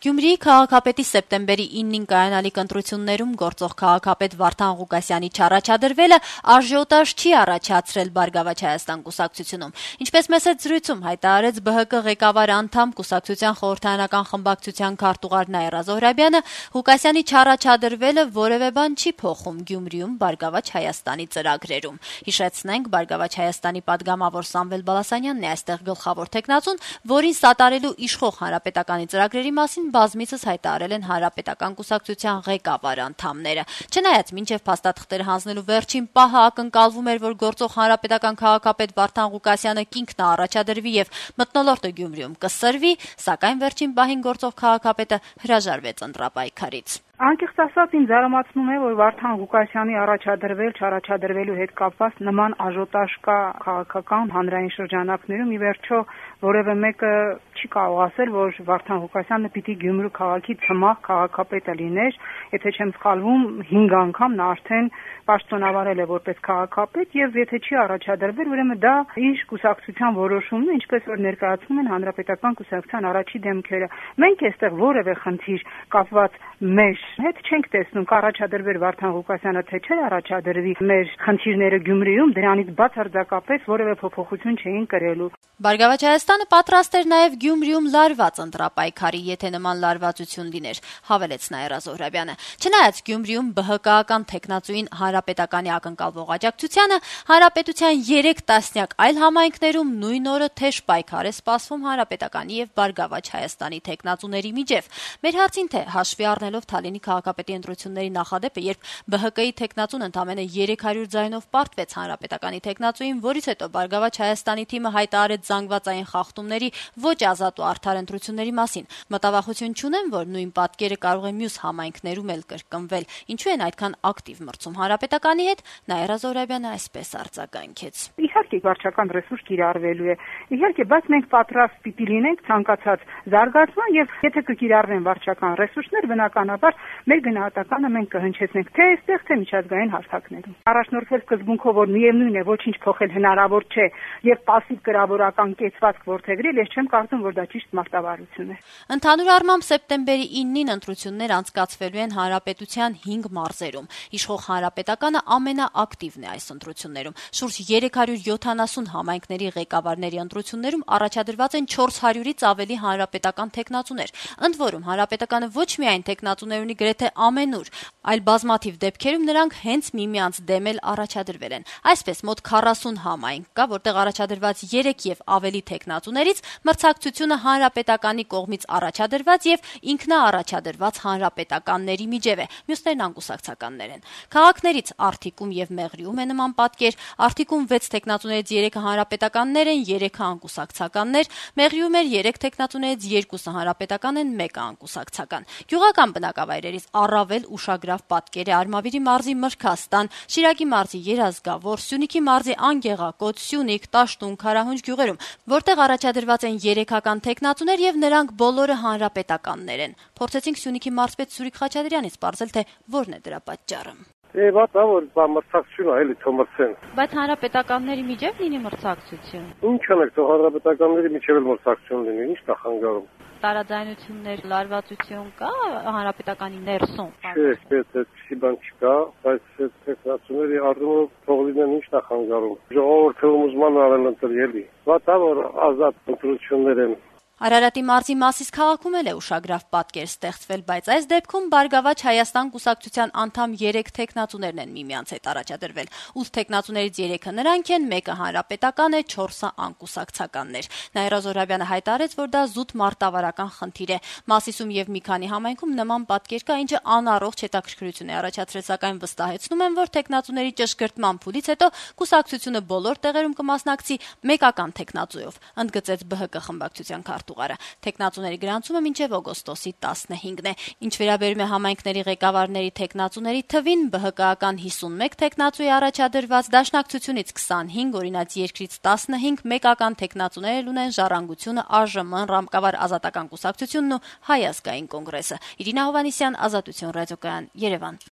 Գյումրիի քաղաքապետի սեպտեմբերի 9-ին կայանալիք ընտրություններում գործող քաղաքապետ Վարդան Ղուկասյանի չառաջադրվելը աժիոտաժ չի առաջացրել «Բարգավաճ Հայաստան» կուսակցությունում։ Ինչպես մեծ զրույցում հայտարարեց ԲՀԿ ղեկավար անդամ կուսակցության խորհրդարանական խմբակցության քարտուղար Նաիրա Զոհրաբյանը, Ղուկասյանի չառաջադրվելը որևէ բան չի փոխում Գյումրիում «Բարգավաճ Հայաստանի» ծրագրերում։ Հիշեցնենք, «Բարգավաճ Հայաստանի» պատգամավոր Սամվել Բալասանյանն է այստեղ գլխավոր թեկնածուն, որին սատարելու իշխող հանրապետականի ծրագրերի մասին բազմիցս հայտարարել են հանրապետական կուսակցության ղեկավար անդամները։ Չնայած մինչև փաստաթղթերը հանձնելու վերջին պահը ակնկալվում էր, որ գործող հանրապետական քաղաքապետ Վարդան Ղուկասյանը կինքնաառաջադրվի եւ մթնոլորտը Գյումրիում կսրվի, սակայն վերջին պահին գործող քաղաքապետը հրաժարվեց ընտրապայքարից։ Անկեղծ ասած, ինձ զարմացնում է, որ Վարդան Ղուկասյանի առաջադրվելու հետ կապված նման աժոտաժ կա քաղաքական հանրային շրջանակներում։ Ի վերջո, որևէ մեկը չի կարող ասել, որ Վարդան Ղուկասյանը պիտի Գյումրու քաղաքի ցմահ քաղաքապետը լիներ, եթե չեմ սխալվում, 5 անգամ նա արդեն պաշտոնավարել է որպես քաղաքապետ, եւ եթե չի առաջադրվել, ուրեմն դա իր կուսակցության որոշումն է, ինչպես որ ներկայացնում են հանրապետական կուսակցության առաջի դեմքերը։ Մենք այստեղ որևէ խնդիր կապված մեր հետ չենք տեսնում, կառաջադրվեր Վարդան Ղուկասյանը, թե չէ առաջադրվի մեր խնդիրները Գյումրիում, դրանից բացարձակապես որևէ փոփոխություն չէին կրելու։ «Բարգավաճ Հայաստանը» պատրաստ էր նաև Գյումրիում լարված ընտրապայքարի, եթե նման լարվածություն լիներ, հավելեց Նաիրա Զոհրաբյանը։ Չնայած Գյումրիում ԲՀԿ-ական թեկնածուին հանրապետականի ակնկալվող աջակցությանը, հանրապետության 3 տասնյակ այլ համայնքներում նույն օրը թեժ պայքար է սպասվում հանրապետականի եւ «Բարգավաճ Հայաստանի» թեկնածուների միջև։ Մեր հարցին, թե հաշվի առնելով Թալինի քաղաքապետի ընտրությունների նախադեպը, երբ ԲՀԿ-ի թեկնածուն ընդամենը 300 ձայնով պարտվեց հանրապետականի թեկնածուին, որից հետո «Բարգավաճ Հայաստանի» թիմը հայտարարեց զանգվածային խախտումների ոչ ազատ ու արդար ընտրությունների մասին, մտավախություն չունեն, որ նույն պատկերը կարող է մյուս համայնքներում էլ կրկնվել։ Ինչու են այդքան ակտիվ մրցում հանրապետականի հետ, Նաիրա Զոհրաբյանը այսպես արձագանքեց. Իհարկե, վարչական ռեսուրս կիրառվելու է։ Իհարկե, բայց մենք պատրաստ պիտի լինենք ցանկացած զարգացման, եւ եթե կկիրառվեն վարչական ռեսուրսներ, բնականաբար մեր գնահատականը մենք կհնչեցնենք թե այստեղ, թե միջազգային հարթակներում։ Առաջնորդվել սկզբունքով, որ միևնույն է, ոչինչ փոխել հնարավոր չէ եւ пассив կրավորական կեցվածք որդեգրել, ես չեմ կարծում, որ դա ճիշտ մարտավարություն է։ Ընդհանուր առմամբ սեպտեմբերի 9-ին ընտրություններ անցկացվելու են հանրապետության 5 մարզերում։ Իշխող հանրապետականը ամենաակտիվն է այս ընտրություններում։ Շուրջ 370 համայնքների ղեկավարների ընտրություններում առաջադրված են 400-ից ավելի հանրապետական թեկնածուներ։ Ընդ որում հանրապետականը ոչ միայն թեկնածուներ ունի գրեթե ամենուր, այլ բազմաթիվ դեպքերում նրանք հենց միմյանց դեմ էլ առաջադրվել են։ Այսպես մոտ 40 համայնք կա, որտեղ առաջադրված 3 եւ ավելի թեկնածուներից մրցակցությունը հանրապետականի կողմից առաջադրված եւ ինքնաառաջադրված հանրապետականների միջև է, մյուսներն անկուսակցականներ են։ Քաղաքներից Արթիկում եւ Մեղրիում է նման պատկեր, Արթիկում 6 թեկնածուներից 3-ը հանրապետականներ են, 3-ը անկուսակցականներ, Մեղրիում էլ 3 թեկնածուներից 2-ը հանրապետական են, 1-ը անկուսակցական։ Գյուղական բնակավայրերից առավել ուշագրավ պատկեր է Արմավիրի մարզի Մրգաստան, Շիրակի մարզի Երազգավոր, Սյունիքի մարզի Անգեղակոտ, Սյունիք, Տաշտուն, Քարահունջ գյուղերում, որտեղ առաջադրված են 3-ական թեկնածուներ եւ նրանք բոլորը հանրապետականներ են։ Փորձեցինք Սյունիքի մարզպետ Սուրիկ Խաչատրյանից պարզել, թե որն է դրա պատճառը։ Որ մրցակցություն է, էլի թոմրցեն։ Բայց հանրապետականների միջև լինի մրցակցություն։ Ինչ անեք, թող հանրապետականների միջև էլ մրցակցություն լինի, ինչ կա խանգարում։ Տարաձայնություններ, լարվածություն կա հանրապետականի ներսում։ Չէ, այդպիսի բան չկա, բայց թեկնածուների առումով թող լինեն, ինչ կա խանգարում։ Ժողովուրդը ուզման արել ընտրելի։ Որ ազատ ընտրություններ են։ Արարատի մարզի Մասիս քաղաքում էլ է ուշագրավ պատկեր ստեղծվել, բայց այս դեպքում Բարգավաճ Հայաստան կուսակցության անդամ 3 թեկնածուներն են միմյանց հետ առաջադրվել։ 8 թեկնածուներից 3-ը նրանք են, 1-ը հանրապետական է, 4-ը անկուսակցականներ։ Նաիրա Զոհրաբյանը հայտարարեց, որ դա զուտ մարտավարական խնդիր է։ Մասիսում եւ մի քանի համայնքում նման պատկեր կա, ինչը անառողջ հետաքրքրություն է առաջացրել, սակայն վստահեցնում են, որ թեկնածուների ճշգրտման փուլից հետո կուսակցությունը բոլոր տեղերում կմասնակցի մեկական թեկնածուով, ընդգծեց ԲՀԿ խմբակցության քարտուղարը։ Թեկնածուների գրանցումը մինչև օգոստոսի 15-ն է։ Ինչ վերաբերում է համայնքների ղեկավարների թեկնածուների թվին, ԲՀԿ-ական 51 թեկնածուի առաջադրված, Դաշնակցությունից 25, Օրինաց երկրից 15, մեկական թեկնածուներ ունեն Ժառանգությունը, ԱԺՄ, Ռամկավար Ազատական կուսակցությունն ու Հայ ազգային կոնգրեսը։ Իրինա Հովհաննիսյան, Ազատություն ռադիոկայան, Երևան։